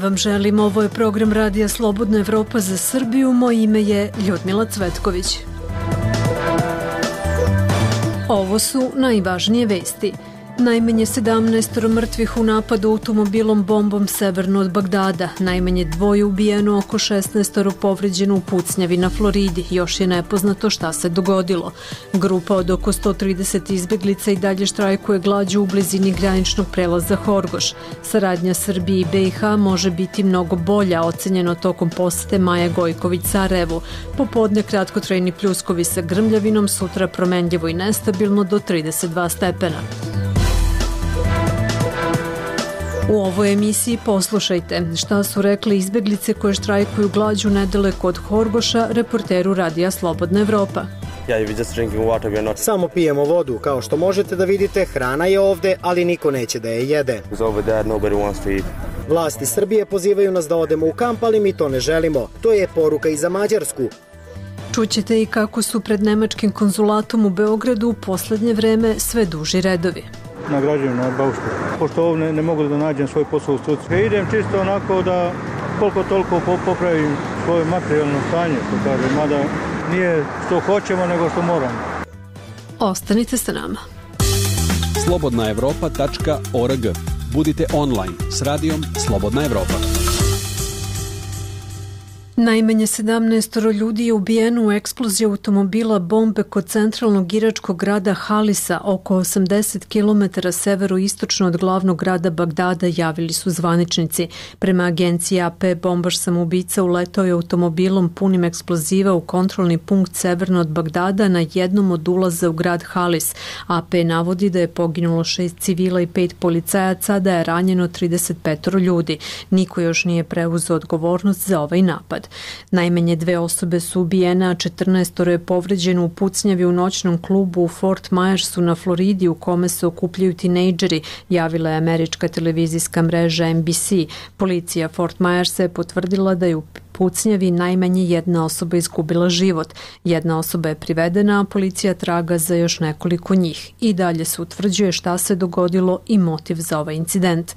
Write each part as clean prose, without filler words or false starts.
vam želim. Ovo je program Radija Slobodna Evropa za Srbiju. Moje ime je Ljudmila Cvetković. Ovo su najvažnije vesti. Najmanje 17 mrtvih u napadu automobilom bombom severno od Bagdada. Najmanje 2 ubijeno, oko 16 povređeno u pucnjavi na Floridi. Još je nepoznato šta se dogodilo. Grupa od oko 130 izbeglica i dalje štrajkuje glađu u blizini graničnog prelaza Horgoš. Saradnja Srbije i BiH može biti mnogo bolja, ocenjeno tokom posete Maje Gojković Sarajevu. Popodne kratkotrajni pljuskovi sa grmljavinom, sutra promenljivo i nestabilno do 32 stepena. U ovoj emisiji poslušajte šta su rekli izbeglice koje štrajkuju glađu nedaleko od Horgoša reporteru Radija Slobodna Evropa. Samo pijemo vodu, kao što možete da vidite, hrana je ovde, ali niko neće da je jede. Vlasti Srbije pozivaju nas da odemo u kamp, ali mi to ne želimo. To je poruka i za Mađarsku. Čućete i kako su pred nemačkim konzulatom u Beogradu u poslednje vreme sve duži redovi. Nagrađujem na baušku. Pošto ovdje ne mogu da nađem svoj posao u struci. Idem čisto onako da koliko toliko popravim svoje materijalno stanje, mada nije što hoćemo, nego što moramo. Ostanite sa nama. slobodnaevropa.org. Budite online s radijom Slobodna Evropa. Najmanje 17 ljudi je ubijeno u eksploziji automobila bombe kod centralnog iračkog grada Halisa, oko 80 km severoistočno od glavnog grada Bagdada, javili su zvaničnici. Prema agenciji AP, bombaš samoubica uletao je automobilom punim eksploziva u kontrolni punkt severno od Bagdada na jednom od ulaza u grad Halis. AP navodi da je poginulo 6 civila i 5 policajaca, da je ranjeno 35 ljudi. Niko još nije preuzeo odgovornost za ovaj napad. Najmanje 2 osobe su ubijene, a 14 je povređeno u pucnjavi u noćnom klubu u Fort Myersu na Floridi u kome se okupljaju tinejdžeri, javila je američka televizijska mreža NBC. Policija Fort Myersa je potvrdila da je u pucnjavi najmanje 1 osoba izgubila život. 1 osoba je privedena, a policija traga za još nekoliko njih. I dalje se utvrđuje šta se dogodilo i motiv za ovaj incident.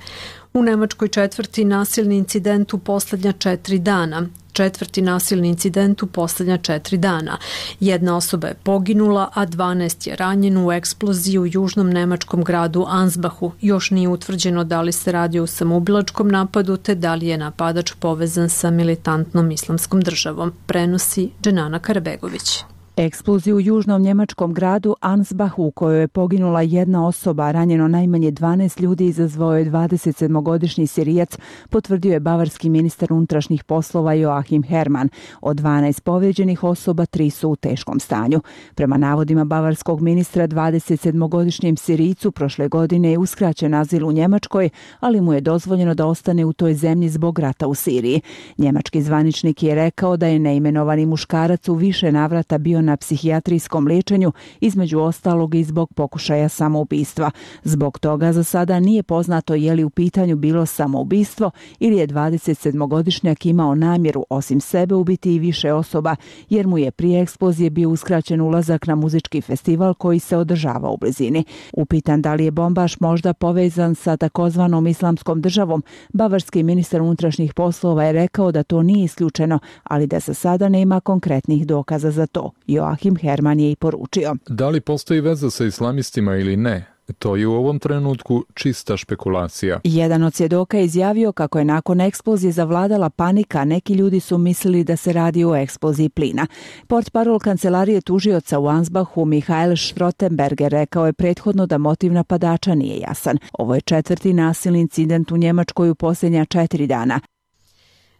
U Nemačkoj četvrti nasilni incident u poslednja 4 dana. Četvrti nasilni incident u poslednja 4 dana. 1 osoba je poginula, a 12 je ranjeno u eksploziji u južnom nemačkom gradu Ansbachu. Još nije utvrđeno da li se radi o samoubilačkom napadu, te da li je napadač povezan sa militantnom islamskom državom, prenosi Dženana Karabegović. Eksploziju u južnom njemačkom gradu Ansbachu, u kojoj je poginula 1 osoba, a ranjeno najmanje 12 ljudi, izazvao je 27-godišnji Sirijac, potvrdio je bavarski ministar unutrašnjih poslova Joachim Herrmann. Od 12 povrijeđenih osoba 3 su u teškom stanju. Prema navodima bavarskog ministra, 27-godišnjem Sirijcu prošle godine je uskraćen azil u Njemačkoj, ali mu je dozvoljeno da ostane u toj zemlji zbog rata u Siriji. Njemački zvaničnik je rekao da je neimenovani muškarac u više navrata bio na psihijatrijskom liječenju, između ostalog i zbog pokušaja samoubistva. Zbog toga za sada nije poznato je li u pitanju bilo samoubistvo ili je 27-godišnjak imao namjeru osim sebe ubiti i više osoba, jer mu je prije eksplozije bio uskraćen ulazak na muzički festival koji se održava u blizini. Upitan da li je bombaš možda povezan sa takozvanom islamskom državom, bavarski ministar unutrašnjih poslova je rekao da to nije isključeno, ali da za sada nema konkretnih dokaza za to. Joachim Herrmann je i poručio. Da li postoji veza sa islamistima ili ne? To je u ovom trenutku čista špekulacija. Jedan od svjedoka je izjavio kako je nakon eksplozije zavladala panika, neki ljudi su mislili da se radi o eksploziji plina. Portparol kancelarije tužioca u Ansbachu Michael Schrottenberger rekao je prethodno da motiv napadača nije jasan. Ovo je 4. nasilni incident u Njemačkoj u posljednja 4 dana.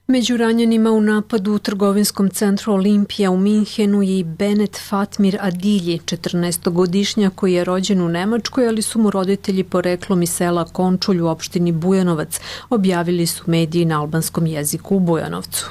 Među ranjenima u napadu u trgovinskom centru Olimpija u Minhenu je i Benet Fatmir Adilji, 14-godišnjak koji je rođen u Nemačkoj, ali su mu roditelji poreklom iz sela Končulj u opštini Bujanovac, objavili su mediji na albanskom jeziku u Bujanovcu.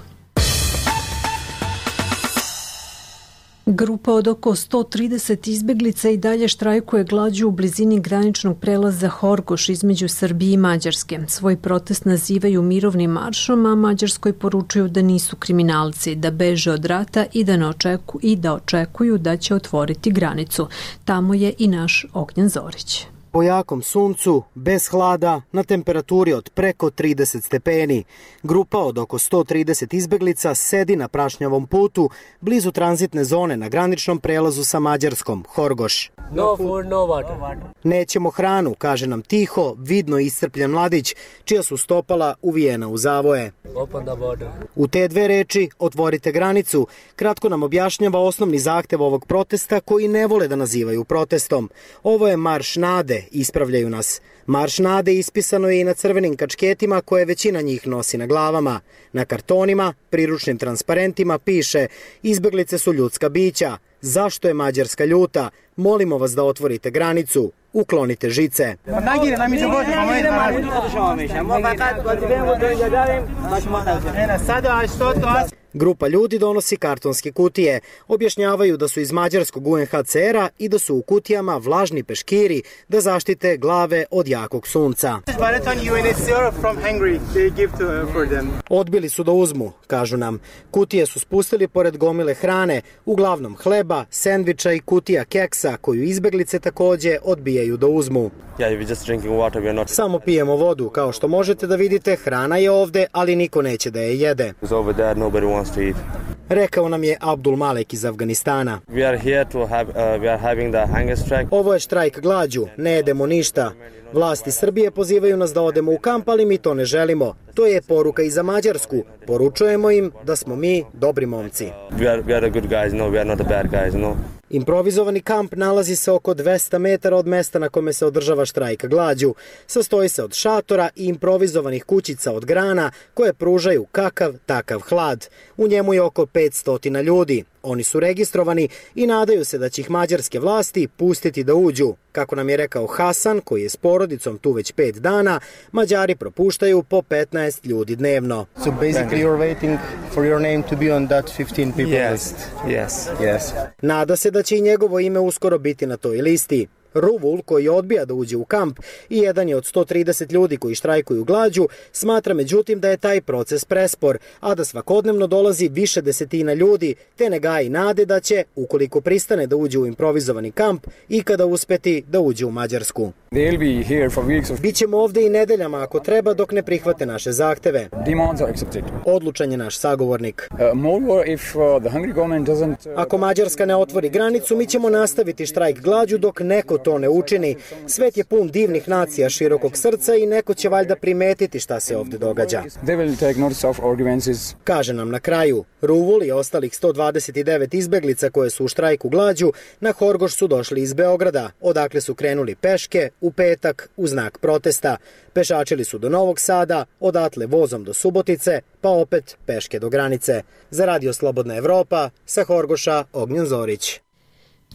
Grupa od oko 130 izbeglica i dalje štrajkuje glađu u blizini graničnog prelaza Horgoš između Srbije i Mađarske. Svoj protest nazivaju mirovnim maršom, a Mađarskoj poručuju da nisu kriminalci, da beže od rata i da očekuju da će otvoriti granicu. Tamo je i naš Ognjen Zorić. Po jakom suncu, bez hlada, na temperaturi od preko 30 stepeni. Grupa od oko 130 izbeglica sedi na prašnjavom putu blizu tranzitne zone na graničnom prelazu sa Mađarskom, Horgoš. No food, no water. Nećemo hranu, kaže nam tiho, vidno iscrpljen mladić, čija su stopala uvijena u zavoje. Open the border. U te dve reči, otvorite granicu, kratko nam objašnjava osnovni zahtev ovog protesta koji ne vole da nazivaju protestom. Ovo je marš nade, ispravljaju nas. Marš nade ispisano je i na crvenim kačketima koje većina njih nosi na glavama. Na kartonima, priručnim transparentima piše: izbeglice su ljudska bića. Zašto je Mađarska ljuta? Molimo vas da otvorite granicu. Uklonite žice. Grupa ljudi donosi kartonske kutije. Objašnjavaju da su iz mađarskog UNHCR-a i da su u kutijama vlažni peškiri da zaštite glave od jakog sunca. Odbili su da uzmu, kažu nam. Kutije su spustili pored gomile hrane, uglavnom hleba, sendviča i kutija keksa koju izbeglice takođe odbijaju da uzmu. Samo pijemo vodu, kao što možete da vidite, hrana je ovde, ali niko neće da je jede. Rekao nam je Abdul Malek iz Afganistana. Ovo je štrajk glađu, ne jedemo ništa. Vlasti Srbije pozivaju nas da odemo u kamp, ali mi to ne želimo. To je poruka i za Mađarsku. Poručujemo im da smo mi dobri momci. Improvizovani kamp nalazi se oko 200 metara od mesta na kome se održava štrajk glađu. Sastoji se od šatora i improvizovanih kućica od grana koje pružaju kakav takav hlad. U njemu je oko 500 ljudi. Oni su registrovani i nadaju se da će ih mađarske vlasti pustiti da uđu. Kako nam je rekao Hasan, koji je s porodicom tu već 5 dana, Mađari propuštaju po 15 ljudi dnevno. So basically you're waiting for your name to be on that 15 people list. Yes. Nada se da će i njegovo ime uskoro biti na toj listi. Ruvul, koji odbija da uđe u kamp i jedan je od 130 ljudi koji štrajkuju glađu, smatra međutim da je taj proces prespor, a da svakodnevno dolazi više desetina ljudi, te ne gaji nade da će, ukoliko pristane da uđe u improvizovani kamp, ikada uspeti da uđe u Mađarsku. Bićemo ovde i nedeljama ako treba dok ne prihvate naše zahteve. Odlučan je naš sagovornik. Ako Mađarska ne otvori granicu, mi ćemo nastaviti štrajk glađu dok neko to ne učini. Svet je pun divnih nacija širokog srca i neko će valjda primetiti šta se ovde događa. Kaže nam na kraju. Ruvul i ostalih 129 izbeglica koje su u štrajku glađu na Horgoš su došli iz Beograda, odakle su krenuli peške u petak u znak protesta. Pešačili su do Novog Sada, odatle vozom do Subotice, pa opet peške do granice. Za Radio Slobodna Evropa, sa Horgoša, Ognjen Zorić.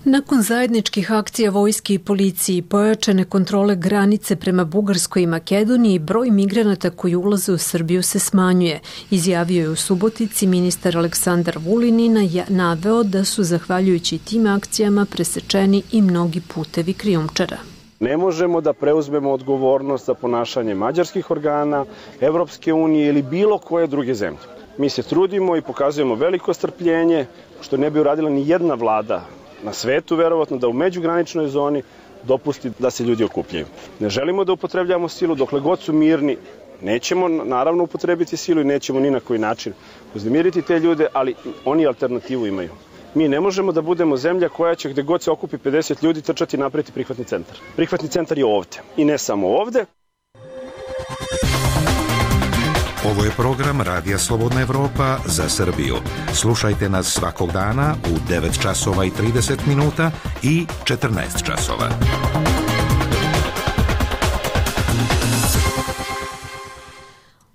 Nakon zajedničkih akcija vojske i policiji, pojačane kontrole granice prema Bugarskoj i Makedoniji, broj migranata koji ulaze u Srbiju se smanjuje. Izjavio je u Subotici ministar Aleksandar Vulin i naveo da su, zahvaljujući tim akcijama, presečeni i mnogi putevi krijumčara. Ne možemo da preuzmemo odgovornost za ponašanje mađarskih organa, Evropske unije ili bilo koje druge zemlje. Mi se trudimo i pokazujemo veliko strpljenje, što ne bi uradila ni jedna vlada na svetu, verovatno, da u međugraničnoj zoni dopusti da se ljudi okupljaju. Ne želimo da upotrebljamo silu, dokle god su mirni. Nećemo naravno upotrebiti silu i nećemo ni na koji način uznemiriti te ljude, ali oni alternativu imaju. Mi ne možemo da budemo zemlja koja će gde god se okupi 50 ljudi trčati i napraviti prihvatni centar. Prihvatni centar je ovde i ne samo ovde. Ovo je program Radija Slobodna Evropa za Srbiju. Slušajte nas svakog dana u 9 časova i 30 minuta i 14 časova.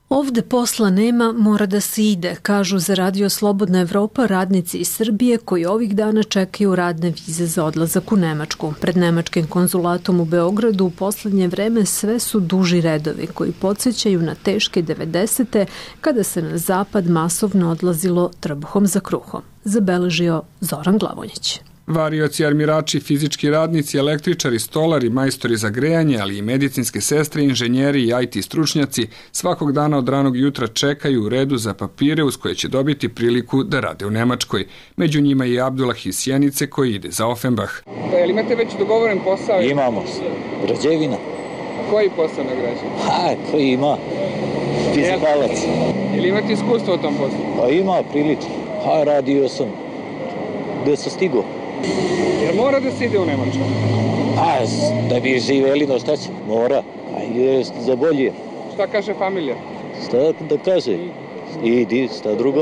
Ovde posla nema, mora da se ide, kažu za Radio Slobodna Evropa radnici iz Srbije koji ovih dana čekaju radne vize za odlazak u Nemačku. Pred nemačkim konzulatom u Beogradu u poslednje vreme sve su duži redovi koji podsjećaju na teške 90. kada se na zapad masovno odlazilo trbuhom za kruhom, zabeležio Zoran Glavonjić. Varioci, armirači, fizički radnici, električari, stolari, majstori za grejanje, ali i medicinske sestre, inženjeri i IT stručnjaci svakog dana od ranog jutra čekaju u redu za papire uz koje će dobiti priliku da rade u Nemačkoj. Među njima je Abdullah iz Sjenice koji ide za Offenbach. Jel imate već dogovoren posao? Imamo, građevina. Koji posao na građevini? Koji ima? Fizikalac. Jel imate iskustvo u tom poslu? Pa ima, prilično. Radio sam. Gde sam stigao? Jer mora da se ide u Nemačku? Da bi živeli, no šta će? Mora. Je za bolje. Šta kaže familija? Šta da kaže? Idi, šta drugo?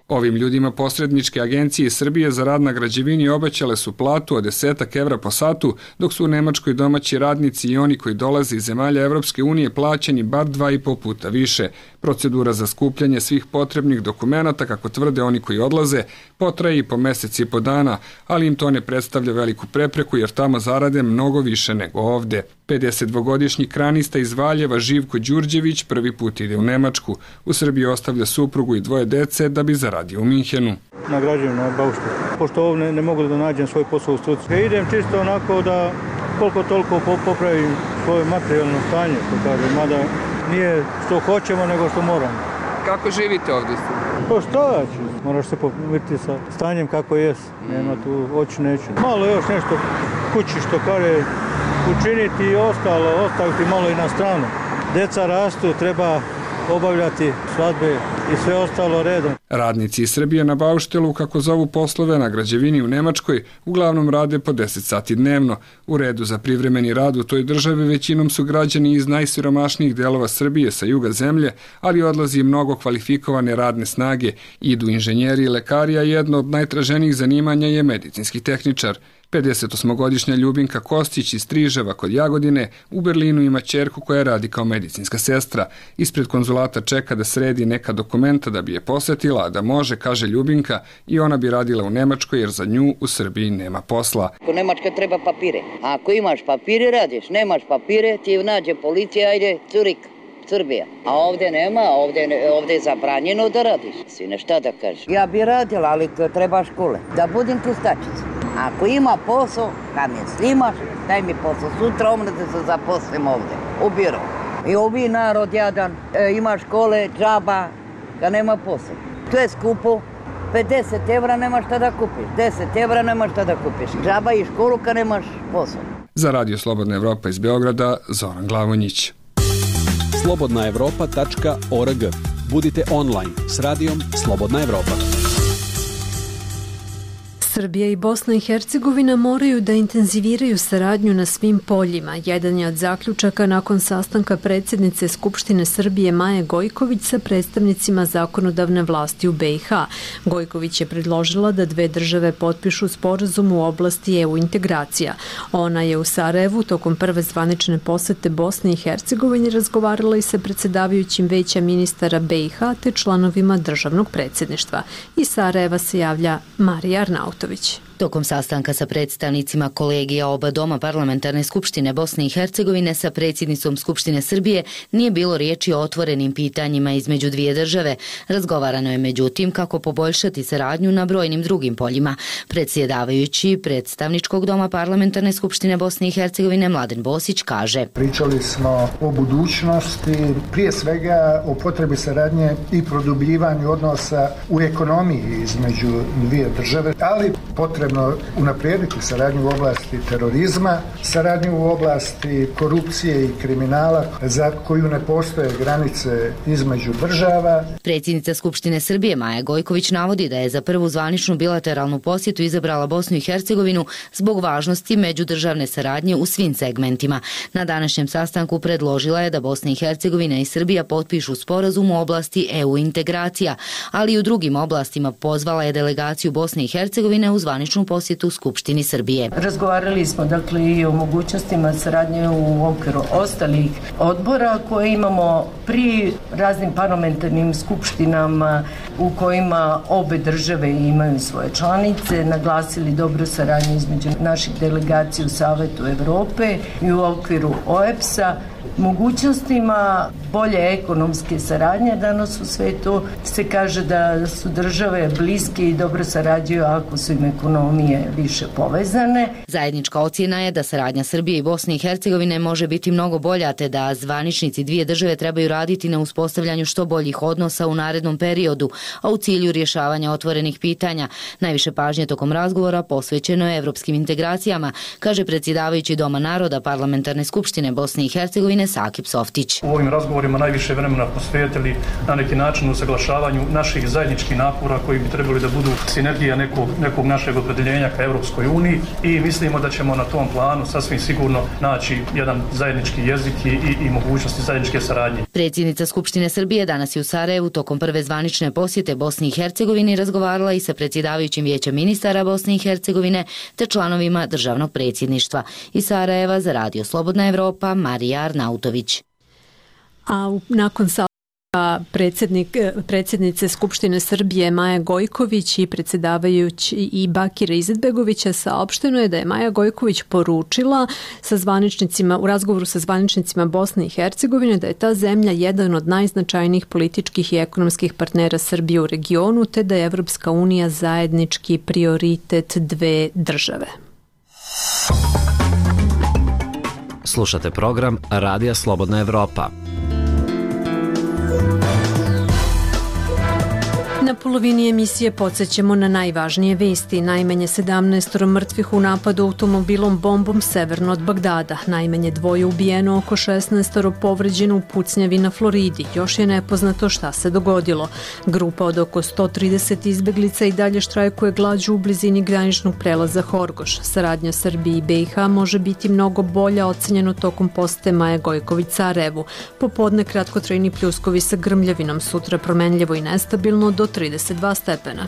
Ovim ljudima posredničke agencije Srbije za rad na građevini obećale su platu od 10 evra po satu, dok su u Nemačkoj domaći radnici i oni koji dolaze iz zemalja Evropske unije plaćeni bar 2,5 puta više. Procedura za skupljanje svih potrebnih dokumenata, kako tvrde oni koji odlaze, potraje i po mesec i po dana, ali im to ne predstavlja veliku prepreku jer tamo zarade mnogo više nego ovde. 52-godišnji kranista iz Valjeva Živko Đurđević prvi put ide u Nemačku. U Srbiji ostavlja suprugu i 2 dece da bi zaradio u Minhenu. Nagrađujem na bauštu. Pošto ovdje ne mogu da nađem svoj posao u struci. Idem čisto onako da koliko toliko popravim svoje materijalno stanje, mada nije što hoćemo nego što moramo. Kako živite ovdje? Pa šta ću? Moraš se pomiriti sa stanjem kako jes. Nema tu hoću neću. Malo još nešto kući što kaže učiniti i ostaviti malo i na stranu. Deca rastu, treba obavljati svadbe i sve ostalo redom. Radnici iz Srbije na bauštelu, kako zovu poslove na građevini u Nemačkoj, uglavnom rade po 10 sati dnevno. U redu za privremeni rad u toj državi većinom su građani iz najsiromašnijih delova Srbije sa juga zemlje, ali odlazi mnogo kvalifikovane radne snage. Idu inženjeri i lekari, a jedno od najtraženijih zanimanja je medicinski tehničar. 58-godišnja Ljubinka Kostić iz Striževa kod Jagodine u Berlinu ima ćerku koja radi kao medicinska sestra. Ispred konzulata čeka da sredi neka dokumenta da bi je posetila, a da može, kaže Ljubinka, i ona bi radila u Nemačkoj jer za nju u Srbiji nema posla. U Nemačkoj treba papire. Ako imaš papire, radiš. Nemaš papire, ti nađe policija, ajde, Curik. Srbija. A ovdje nema, ovdje je zabranjeno da radiš. Sine, šta da kažeš? Ja bi radila, ali treba škole. Da budem čistačica. Ako ima posao, kad me slimaš, daj mi posao. Sutra omne da se zaposlim ovdje, u biro. I ovi narod jadan, ima škole, džaba, kad nema posao. To je skupo. 50 evra nemaš šta da kupiš. 10 evra nemaš šta da kupiš. Džaba i školu kad nemaš posao. Za Radio Slobodna Evropa iz Beograda, Zoran Glavonjić. slobodnaevropa.org. Budite online s radijom Slobodna Evropa. Srbija i Bosna i Hercegovina moraju da intenziviraju saradnju na svim poljima. Jedan je od zaključaka nakon sastanka predsjednice Skupštine Srbije Maje Gojković sa predstavnicima zakonodavne vlasti u BiH. Gojković je predložila da dve države potpišu sporazum u oblasti EU integracija. Ona je u Sarajevu tokom prve zvanične posete Bosne i Hercegovine razgovarala i sa predsjedavajućim veća ministara BiH te članovima državnog predsjedništva. Iz Sarajeva se javlja Marija Arnautović. Tokom sastanka sa predstavnicima kolegija oba doma Parlamentarne skupštine Bosne i Hercegovine sa predsjednicom Skupštine Srbije nije bilo riječi o otvorenim pitanjima između dvije države. Razgovarano je međutim kako poboljšati saradnju na brojnim drugim poljima. Predsjedavajući predstavničkog doma Parlamentarne skupštine Bosne i Hercegovine Mladen Bosić kaže: Pričali smo o budućnosti, prije svega o potrebi saradnje i produbljivanju odnosa u ekonomiji između dvije države, ali potrebno unaprijediti saradnju u oblasti terorizma, saradnju u oblasti korupcije i kriminala za koju ne postoje granice između država. Predsjednica Skupštine Srbije Maja Gojković navodi da je za prvu zvaničnu bilateralnu posjetu izabrala Bosnu i Hercegovinu zbog važnosti međudržavne saradnje u svim segmentima. Na današnjem sastanku predložila je da Bosna i Hercegovina i Srbija potpišu sporazum u oblasti EU integracija, ali i u drugim oblastima. Pozvala je delegaciju Bosne i Hercegovine u zvaničnu posjetu Skupštini Srbije. Razgovarali smo dakle i o mogućnostima saradnje u okviru ostalih odbora koje imamo pri raznim parlamentarnim skupštinama u kojima obe države imaju svoje članice, naglasili dobru saradnju između naših delegacija u Savetu Evrope i u okviru OEBS-a mogućnostima bolje ekonomske saradnje. Danas u svetu se kaže da su države bliske i dobro sarađuju ako su im ekonomije više povezane. Zajednička ocjena je da saradnja Srbije i Bosne i Hercegovine može biti mnogo bolja, te da zvaničnici dvije države trebaju raditi na uspostavljanju što boljih odnosa u narednom periodu, a u cilju rješavanja otvorenih pitanja. Najviše pažnje tokom razgovora posvećeno je evropskim integracijama, kaže predsjedavajući Doma naroda Parlamentarne skupštine Bosne i Hercegovine Sakip Softić. U ovim razgovorima najviše vremena posvetili na neki način usaglašavanju naših zajedničkih napora koji bi trebali da budu sinergija nekog našeg opredeljenja ka Evropskoj uniji i mislimo da ćemo na tom planu sasvim sigurno naći jedan zajednički jezik i mogućnosti zajedničke saradnje. Predsjednica Skupštine Srbije danas je u Sarajevu tokom prve zvanične posjete Bosni i Hercegovini razgovarala i sa predsjedavajućim vijećem ministara Bosne i Hercegovine te članovima državnog predsjedništva. Iz Sarajeva za Radio Slobodna Evropa Marija Arnautović. A nakon predsjednice Skupštine Srbije Maja Gojković i predsjedavajući i Bakira Izetbegovića saopšteno je da je Maja Gojković poručila u razgovoru sa zvaničnicima Bosne i Hercegovine da je ta zemlja jedan od najznačajnijih političkih i ekonomskih partnera Srbije u regionu, te da je Evropska unija zajednički prioritet dve države. Slušate program Radija Slobodna Evropa. Na polovini emisije podsjećamo na najvažnije vesti. Najmanje 17 mrtvih u napadu automobilom bombom severno od Bagdada. Najmanje 2 ubijeno, oko 16 povređeno u pucnjavi na Floridi. Još je nepoznato šta se dogodilo. Grupa od oko 130 izbeglica i dalje štrajkuje glađu u blizini graničnog prelaza Horgoš. Saradnja Srbije i BiH može biti mnogo bolja, ocenjeno tokom posete Maje Gojković Sarajevu. Popodne kratkotrajni pljuskovi sa grmljavinom, sutra promenljivo i nestabilno do 32 stepena.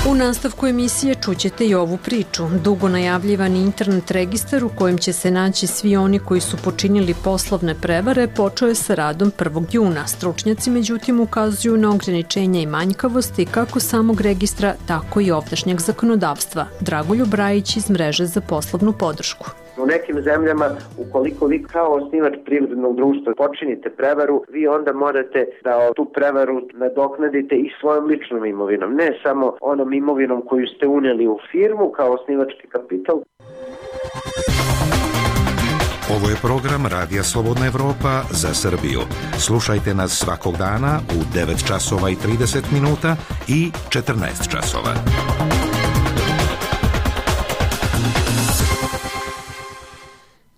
U nastavku emisije čućete i ovu priču. Dugo najavljivani internet registar u kojem će se naći svi oni koji su počinili poslovne prevare počeo je sa radom 1. juna. Stručnjaci međutim ukazuju na ograničenja i manjkavosti kako samog registra, tako i ovdašnjeg zakonodavstva. Dragoljub Brajić iz Mreže za poslovnu podršku. U nekim zemljama, ukoliko vi kao osnivač privrednog društva počinite prevaru, vi onda morate da tu prevaru nadoknadite i svojom ličnom imovinom, ne samo onom imovinom koju ste unijeli u firmu kao osnivački kapital. Ovo je program Radija Slobodna Evropa za Srbiju. Slušajte nas svakog dana u 9 časova i 30 minuta i 14 časova.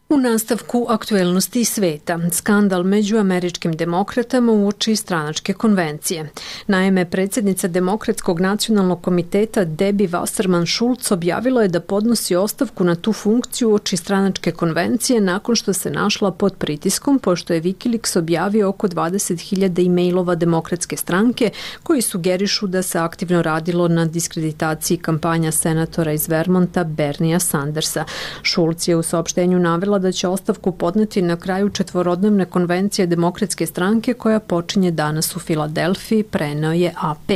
U nastavku aktuelnosti sveta, skandal među američkim demokratama uoči stranačke konvencije. Naime, predsjednica Demokratskog nacionalnog komiteta Debbie Wasserman Schultz objavila je da podnosi ostavku na tu funkciju uoči stranačke konvencije nakon što se našla pod pritiskom, pošto je Wikileaks objavio oko 20.000 e-mailova Demokratske stranke koji sugerišu da se aktivno radilo na diskreditaciji kampanja senatora iz Vermonta Bernia Sandersa. Schultz je u saopštenju navela da će ostavku podneti na kraju 4-dnevne konvencije Demokratske stranke koja počinje danas u Filadelfiji, preneo je AP.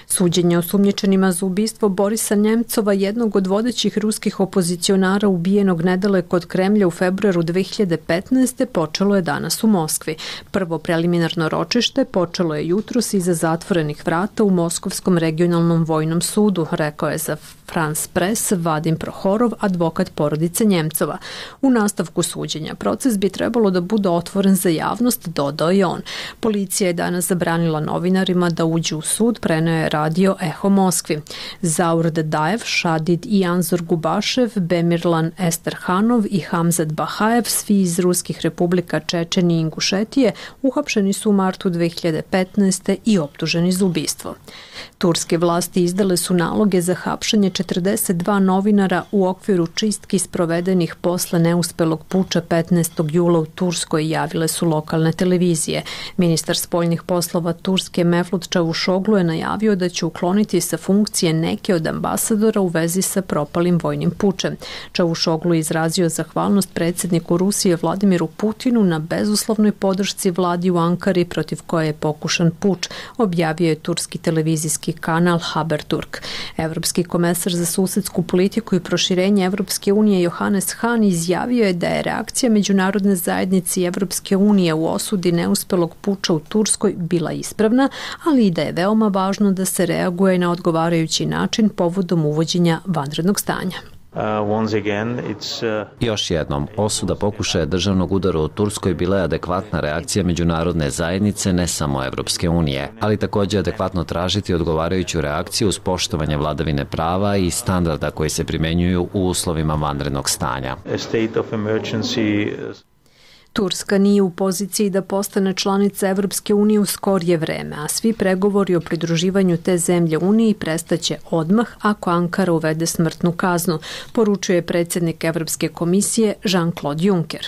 Suđenje osumnjičenima za ubistvo Borisa Njemcova, jednog od vodećih ruskih opozicionara ubijenog nedaleko od Kremlja u februaru 2015. počelo je danas u Moskvi. Prvo preliminarno ročište počelo je jutros iza zatvorenih vrata u Moskovskom regionalnom vojnom sudu, rekao je za France Press Vadim Prohorov, advokat porodice Njemcova. U nastavku suđenja proces bi trebalo da bude otvoren za javnost, dodao je on. Policija je danas zabranila novinarima da uđu u sud, preneo je radio Eho Moskvi. Zaur Dadajev, Šadid i Anzor Gubašev, Bemirlan Esterhanov i Hamzat Bahajev, svi iz ruskih republika Čečenije i Ingušetije, uhapšeni su u martu 2015. i optuženi za ubistvo. Turske vlasti izdale su naloge za hapšenje 42 novinara u okviru čistki sprovedenih posle neuspelog puča 15. jula u Turskoj, javile su lokalne televizije. Ministar spoljnih poslova Turske Mevlut Čavuşoglu je najavio da će ukloniti sa funkcije neke od ambasadora u vezi sa propalim vojnim pučem. Čavuşoglu je izrazio zahvalnost predsjedniku Rusije Vladimiru Putinu na bezuslovnoj podršci vladi u Ankari protiv koje je pokušan puč, objavio je turski televizijski kanal Haberturk. Evropski komesar za susedsku politiku i proširenje Evropske unije Johannes Hahn izjavio je da je reakcija međunarodne zajednice i Evropske unije u osudi neuspelog puča u Turskoj bila ispravna, ali i da je veoma važno da se reaguje na odgovarajući način povodom uvođenja vanrednog stanja. Još jednom, osuda pokušaja državnog udara u Turskoj bila je adekvatna reakcija međunarodne zajednice, ne samo Evropske unije, ali također adekvatno tražiti odgovarajuću reakciju uz poštovanje vladavine prava i standarda koji se primenjuju u uslovima vanrednog stanja. Turska nije u poziciji da postane članica Evropske unije u skorije vreme, a svi pregovori o pridruživanju te zemlje Uniji prestaće odmah ako Ankara uvede smrtnu kaznu, poručuje predsjednik Evropske komisije Jean-Claude Juncker.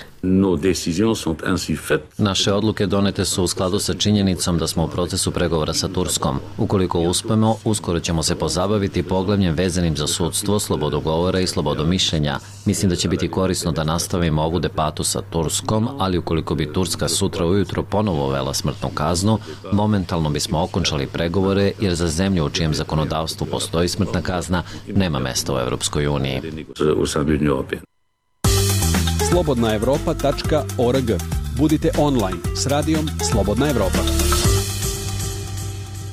Naše odluke donete su u skladu sa činjenicom da smo u procesu pregovora sa Turskom. Ukoliko uspemo, uskoro ćemo se pozabaviti poglavljem vezanim za sudstvo, slobodu govora i slobodu mišljenja. Mislim da će biti korisno da nastavimo ovu debatu sa Turskom, ali ukoliko bi Turska sutra ujutro ponovo uvela smrtnu kaznu, momentalno bismo okončali pregovore jer za zemlju u čijem zakonodavstvu postoji smrtna kazna nema mesta u Evropskoj uniji. slobodnaevropa.org. Budite online s radijom Slobodna Evropa.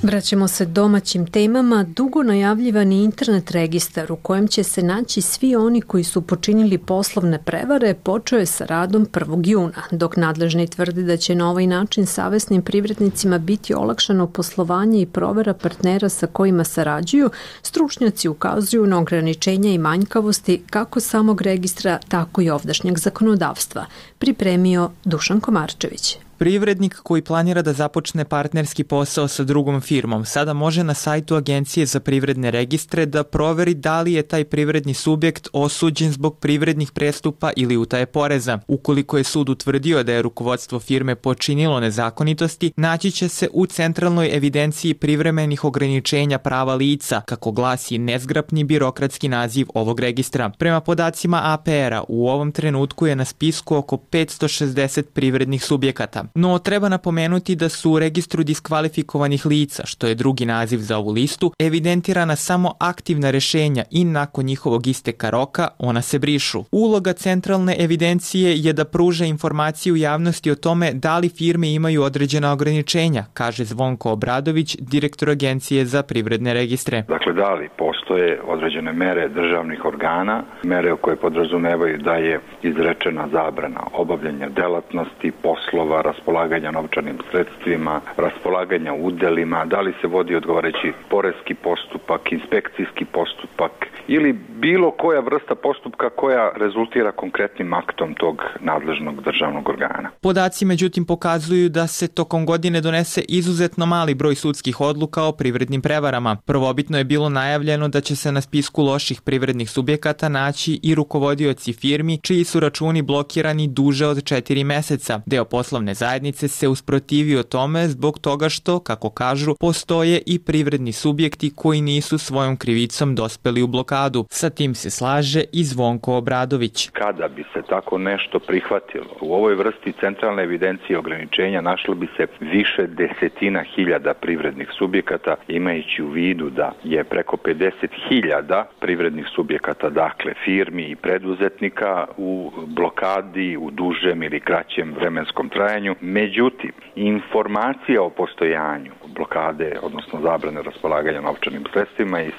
Vraćamo se domaćim temama. Dugo najavljivani internet registar u kojem će se naći svi oni koji su počinili poslovne prevare počeo je sa radom 1. juna, dok nadležni tvrde da će na ovaj način savesnim privrednicima biti olakšano poslovanje i provera partnera sa kojima sarađuju, stručnjaci ukazuju na ograničenja i manjkavosti kako samog registra, tako i ovdašnjeg zakonodavstva. Pripremio Dušan Komarčević. Privrednik koji planira da započne partnerski posao sa drugom firmom sada može na sajtu Agencije za privredne registre da proveri da li je taj privredni subjekt osuđen zbog privrednih prestupa ili utaje poreza. Ukoliko je sud utvrdio da je rukovodstvo firme počinilo nezakonitosti, naći će se u centralnoj evidenciji privremenih ograničenja prava lica, kako glasi nezgrapni birokratski naziv ovog registra. Prema podacima APR-a, u ovom trenutku je na spisku oko 560 privrednih subjekata. No, treba napomenuti da su u registru diskvalifikovanih lica, što je drugi naziv za ovu listu, evidentirana samo aktivna rešenja i nakon njihovog isteka roka ona se brišu. Uloga centralne evidencije je da pruža informaciju javnosti o tome da li firme imaju određena ograničenja, kaže Zvonko Obradović, direktor Agencije za privredne registre. Dakle, da li postoje određene mere državnih organa, mere koje podrazumevaju da je izrečena zabrana obavljanja delatnosti, poslova, raspolaganja novčanim sredstvima, raspolaganja udelima, da li se vodi odgovarajući poreski postupak, inspekcijski postupak ili bilo koja vrsta postupka koja rezultira konkretnim aktom tog nadležnog državnog organa. Podaci međutim pokazuju da se tokom godine donese izuzetno mali broj sudskih odluka o privrednim prevarama. Prvobitno je bilo najavljeno da će se na spisku loših privrednih subjekata naći i rukovodioci firmi čiji su računi blokirani duže od 4 meseca. Deo poslovne zajednice se usprotivio tome zbog toga što, kako kažu, postoje i privredni subjekti koji nisu svojom krivicom dospeli u blokadu. Sa tim se slaže i Zvonko Obradović. Kada bi se tako nešto prihvatilo, u ovoj vrsti centralne evidencije ograničenja našlo bi se više desetina hiljada privrednih subjekata, imajući u vidu da je preko 50.000 privrednih subjekata, dakle firmi i preduzetnika u blokadi u dužem ili kraćem vremenskom trajanju. Međutim, informacija o postojanju blokade, odnosno zabrane raspolaganja novčanim sredstvima i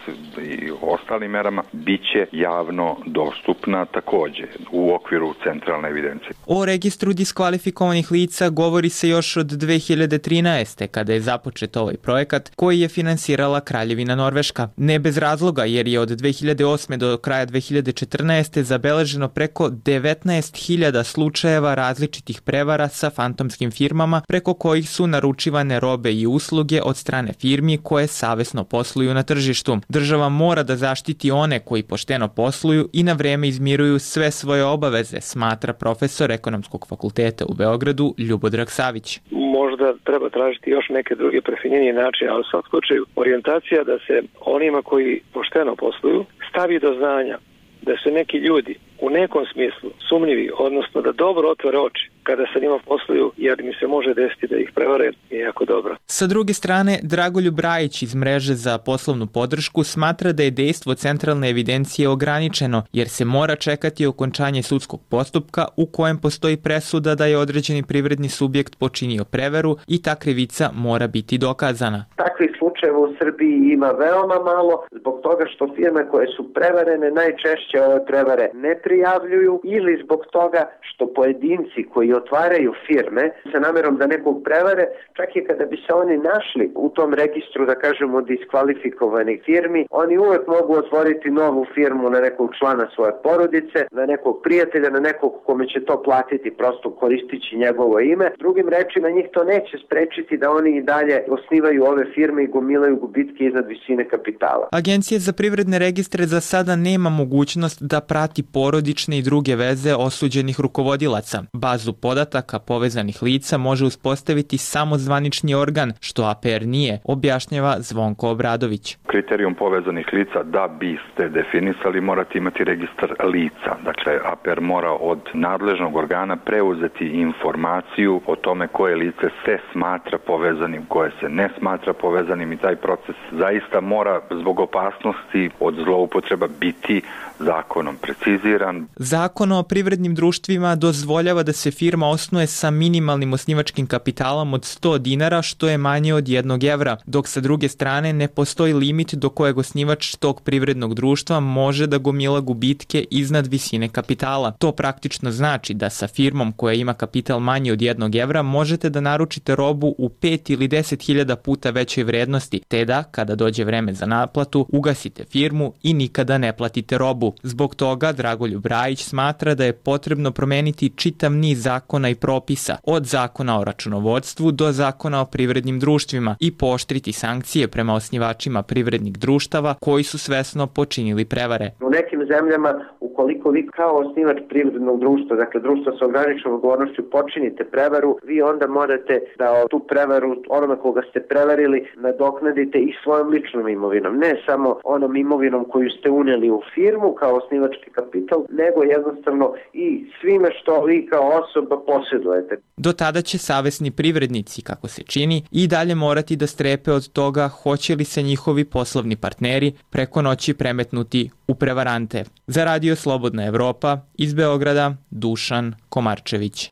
ostalim merama, biće javno dostupna također u okviru centralne evidencije. O registru diskvalifikovanih lica govori se još od 2013. kada je započet ovaj projekat koji je finansirala Kraljevina Norveška. Ne bez razloga, jer je od 2008. do kraja 2014. zabeleženo preko 19.000 slučajeva različitih prevara sa fantomskim firmama preko kojih su naručivane robe i usluge od strane firmi koje savesno posluju na tržištu. Država mora da zaštiti one koji pošteno posluju i na vreme izmiruju sve svoje obaveze, smatra profesor Ekonomskog fakulteta u Beogradu Ljubodrag Savić. Možda treba tražiti još neke druge prefinjenije načine, ali u svakom slučaju orijentacija da se onima koji pošteno posluju stavi do znanja da su neki ljudi u nekom smislu sumnjivi, odnosno da dobro otvore oči kada sa njima posluju, jer mi se može desiti da ih prevare, je jako dobro. Sa druge strane, Dragoljub Brajić iz Mreže za poslovnu podršku smatra da je dejstvo centralne evidencije ograničeno, jer se mora čekati okončanje sudskog postupka u kojem postoji presuda da je određeni privredni subjekt počinio prevaru i ta krivica mora biti dokazana. Takvih slučajeva u Srbiji ima veoma malo, zbog toga što firme koje su prevarene najčešće ove prevare ne prijavljuju, ili zbog toga što pojedinci koji otvaraju firme sa namerom da nekog prevare, čak i kada bi se oni našli u tom registru, da kažemo, diskvalifikovanih firmi, oni uvek mogu otvoriti novu firmu na nekog člana svoje porodice, na nekog prijatelja, na nekog kome će to platiti prosto koristići njegovo ime. Drugim rečima, njih to neće sprečiti da oni i dalje osnivaju ove firme i gomilaju gubitke iznad visine kapitala. Agencija za privredne registre za sada nema mogućnost da prati porodične i druge veze osuđenih rukovodilaca. Bazu podataka povezanih lica može uspostaviti samo zvanični organ, što APR nije, objašnjava Zvonko Obradović. Kriterijum povezanih lica da biste definisali morate imati registar lica. Dakle, APR mora od nadležnog organa preuzeti informaciju o tome koje lice se smatra povezanim, koje se ne smatra povezanim, i taj proces zaista mora zbog opasnosti od zloupotreba biti zakonom preciziran. Zakon o privrednim društvima dozvoljava da se firma osnuje sa minimalnim osnivačkim kapitalom od 100 dinara, što je manje od 1 evra, dok sa druge strane ne postoji limit do kojeg osnivač tog privrednog društva može da gomila gubitke iznad visine kapitala. To praktično znači da sa firmom koja ima kapital manji od 1 evra možete da naručite robu u 5 ili 10.000 puta većoj vrednosti, te da, kada dođe vreme za naplatu, ugasite firmu i nikada ne platite robu. Zbog toga Dragoljub Brajić smatra da je potrebno promeniti čitav niz zakona i propisa, od zakona o računovodstvu do zakona o privrednim društvima, i pooštriti sankcije prema osnivačima privrednih društava koji su svesno počinili prevare. U nekim zemljama, ukoliko vi kao osnivač privrednog društva, dakle društva sa ograničenom odgovornošću, počinite prevaru, vi onda morate da tu prevaru onome koga ste prevarili nadoknadite i svojom ličnom imovinom, ne samo onom imovinom koju ste unijeli u firmu kao osnivački kapital, nego jednostavno i svime što vi kao osoba posjedujete. Do tada će savesni privrednici, kako se čini, i dalje morati da strepe od toga hoće li se njihovi poslovni partneri preko noći premetnuti u prevarante. Za Radio Slobodna Evropa, iz Beograda, Dušan Komarčević.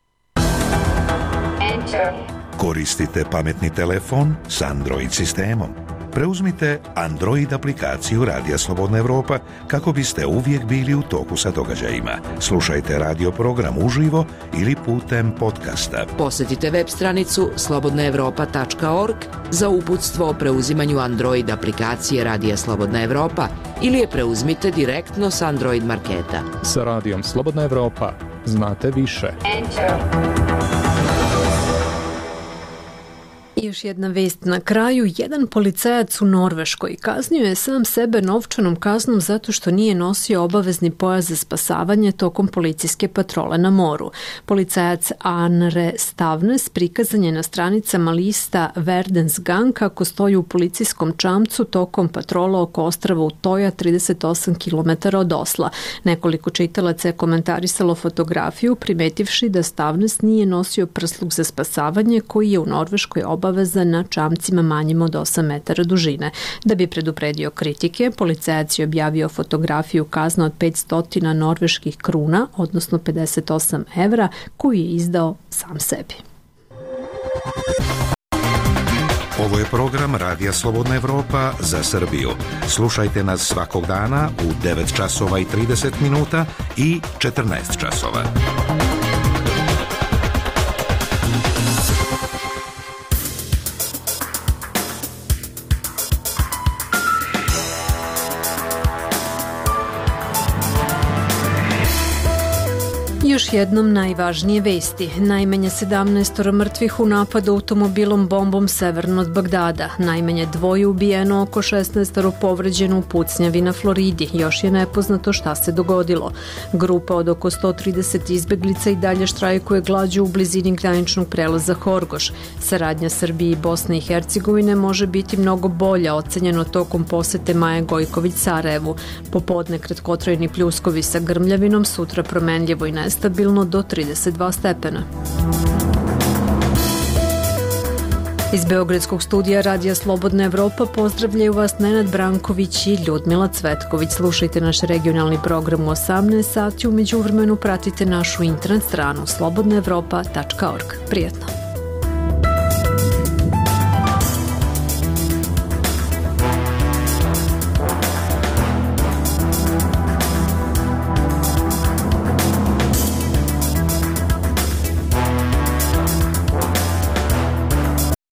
Koristite pametni telefon s Android sistemom. Preuzmite Android aplikaciju Radija Slobodna Evropa kako biste uvijek bili u toku sa događajima. Slušajte radio program uživo ili putem podcasta. Posjetite web stranicu slobodnaevropa.org za uputstvo o preuzimanju Android aplikacije Radija Slobodna Evropa ili je preuzmite direktno s Android marketa. Sa Radijom Slobodna Evropa znate više. I još jedna vest na kraju. Jedan policajac u Norveškoj kaznio je sam sebe novčanom kaznom zato što nije nosio obavezni pojas za spasavanje tokom policijske patrole na moru. Policajac Arne Stavnes prikazan je na stranicama lista Verdensgang kako stoji u policijskom čamcu tokom patrola oko ostrava Utoja 38 km od Osla. Nekoliko čitalaca je komentarisalo fotografiju primetivši da Stavnes nije nosio prsluk za spasavanje koji je u Norveškoj obavezan na čamcima manjim od 8 metara dužine. Da bi predupredio kritike, policajac je objavio fotografiju kazna od 500 norveških kruna, odnosno 58 evra, koju je izdao sam sebi. Ovo je program Radija Slobodna Evropa za Srbiju. Slušajte nas svakog dana u 9 časova i 30 minuta i 14 časova. Još još jednom najvažnije vesti. Najmanje 17 mrtvih u napadu automobilom bombom severno od Bagdada. Najmanje 2 ubijeno, oko 16 povređeno u pucnjavi na Floridi. Još je nepoznato šta se dogodilo. Grupa od oko 130 izbeglica i dalje štrajkuje glađu u blizini graničnog prelaza Horgoš. Saradnja Srbije i Bosne i Hercegovine može biti mnogo bolja, ocenjeno tokom posete Maje Gojković Sarajevu. Popodne kratkotrajni pljuskovi sa grmljavinom, sutra promenljivo i nestabilno do 32 stepena. Iz Beogradskog studija Radija Slobodna Evropa pozdravljaju vas Nenad Branković i Ljudmila Cvetković. Slušajte naš regionalni program u 18 sati, u međuvremenu pratite našu internet stranu slobodnaevropa.org. Prijetno!